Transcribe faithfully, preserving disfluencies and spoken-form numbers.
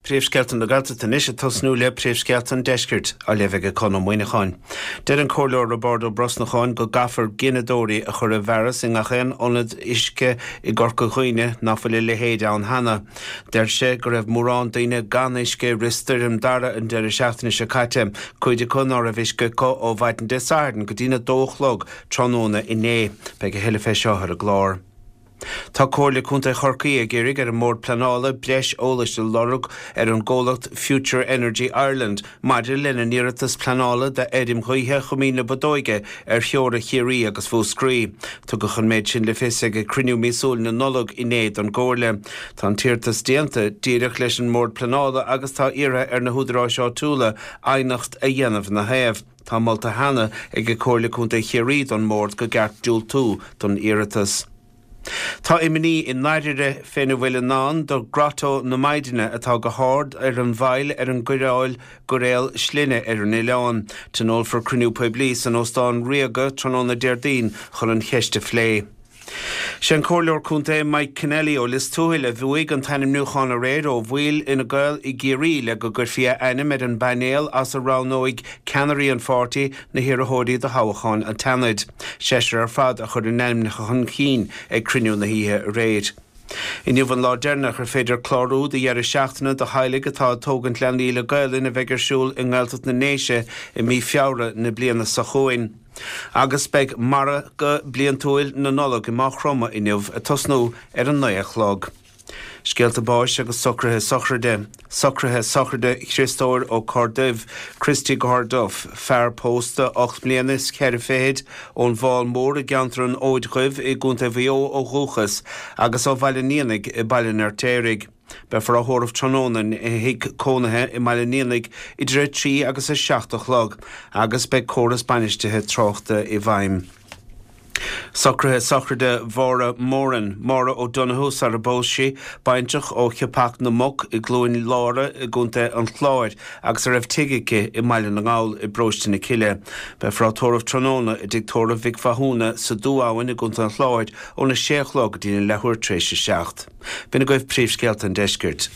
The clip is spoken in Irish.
Príomhscéalta na Gaeltachta anois ag tosnú le príomhscéalta an deiscirt á léamh ag Conn Ó Muíneacháin. Deir an Comhairleoir Roibeárd Ó Brosnacháin go gcaithfear gineadóirí a chur i bhfearas i ngach aon ionad uisce i gCorca Dhuibhne nach bhfuil a leithéid ann cheana. Deir sé go raibh mórán daoine gan uisce i rith stoirm Dara an deireadh seachtaine seo caite, cuid acu ná raibh uisce acu ó mhaidin Dé Sathairn go dtína dó a chlog tráthnóna inné. Beidh a thuilleadh fé seo ar an gclár. Tá Comhairle Contae Chorcaí ag iarraidh ar an mBord Pleanála breis eolais a lorg ar an gcomhlacht Future Energy Ireland maidir lena n-iarratas pleanála d'fheirm ghaoithe Choimín na Bodóige ar theora Chiarraí agus Mhúscraí. Tugadh an méid sin le fios ag cruinniú míosúil na Nollag inné don gComhairle. Tá an t-iarratas déanta díreach leis an mBord Pleanála agus tá iarrtha ar na húdaráis áitiúla aighneacht a dhéanamh ina thaobh. Tá molta cheana ag Comhairle Contae Chiarraí don mBord go gceart diúltú don iarratas. Tá imní i ndáiríre féna bhfuil i ndán do Grotto na Maighdine atá go hard ar an bhfaill ar an gcoireáil gcoiréal slinne ar an oileán. Tionólfar cruinniú poiblí san Óstán Ríoga tráthnóna Déardaoin chun an cheist a phlé. Sé an Comhairleoir Contae Mike Kennelly ó Lios Tuathail a bhuaigh an t-ainmniúchán aréir ó bhaill Fhine Gael i gCiarraí le go gcuirfí a ainm ar an bpainéal as a roghnóidh ceannairí an pháirtí na hiarrthóirí do thoghchán an tSeanaid. Seisear ar fad a chuir a n-ainmneacha chun cinn ag cruinniú na hoíche aréir. Inniu an lá deireanach ar féidir clárú do dheireadh seachtaine do theaghlaigh atá ag tógaint leanaí le Gaelainn a bheidh ar siúl i nGaeltacht na nDéise i mí Feabhra na bliana seo chugainn. Agus beidh margadh bliantúil na Nollag i Maigh Chromtha inniu ag tosnú ar an naoi a chlog. Scéalta báis agus socruithe sochraide. Socruithe sochraide Chriostóir Ó Corrduibh, Christy Gorduff, fear pósta ocht mbliana is ceithre fichid, ón bhFál Mór i gceantar an Fhóid Dhuibh i gContae Mhaigh Eo ó dhúchas agus ó Bhaile an Éanaigh i Baile an Fheirtéaraigh. Beifear á thórramh tráthnóna ina thigh cónaithe i mBaile an Éanaigh idir a trí agus a seacht a chlog agus beidh córas bainistithe tráchta i bhfeidhm. Socruithe sochraide Mháire Moran, Máire O'Donoghue sar a bpós sí, baintreach ó Chiapach na Muc i gCluain Lára i gContae an Chláir agus a raibh tigh aici i mBaile na nGall i bparóiste na Cille. Beifear á tórramh tráthnóna i dtigh tórraimh Mhic Mhathúna sa Dú Abhainn i gContae an Chláir óna sé a chlog go dtí an leathuair tar éis a seacht. B'in agaibh príomhscéalta an deiscirt.